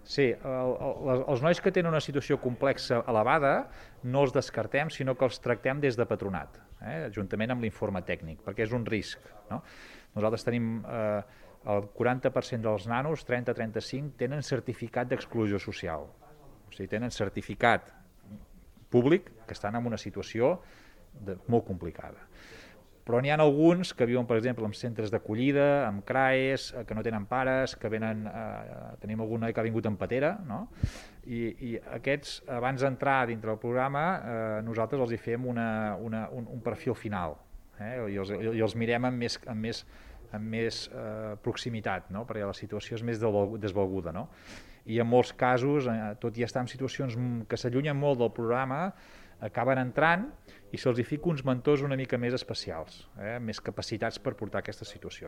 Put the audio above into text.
Sí, els nois que tenen una situació complexa elevada no els descartem, sinó que els tractem des de patronat, juntament amb l'informe tècnic, perquè és un risc. No? Nosaltres tenim el 40% dels nanos, 30-35, tenen certificat d'exclusió social. O sigui, tenen certificat públic que estan en una situació molt complicada. Però n'hi ha alguns que viuen, per exemple, en centres d'acollida, amb CRAES, que no tenen pares, que venen, tenim algun noi que ha vingut en patera, no? I aquests, abans d'entrar dintre del programa, nosaltres els hi fem un perfil final, i els mirem amb més proximitat, no? Perquè la situació és més desvalguda, no? I en molts casos, tot i estar en situacions que s'allunyen molt del programa, acaben entrant i se'ls hi fica uns mentors una mica més especials, més capacitats per portar aquestes situacions.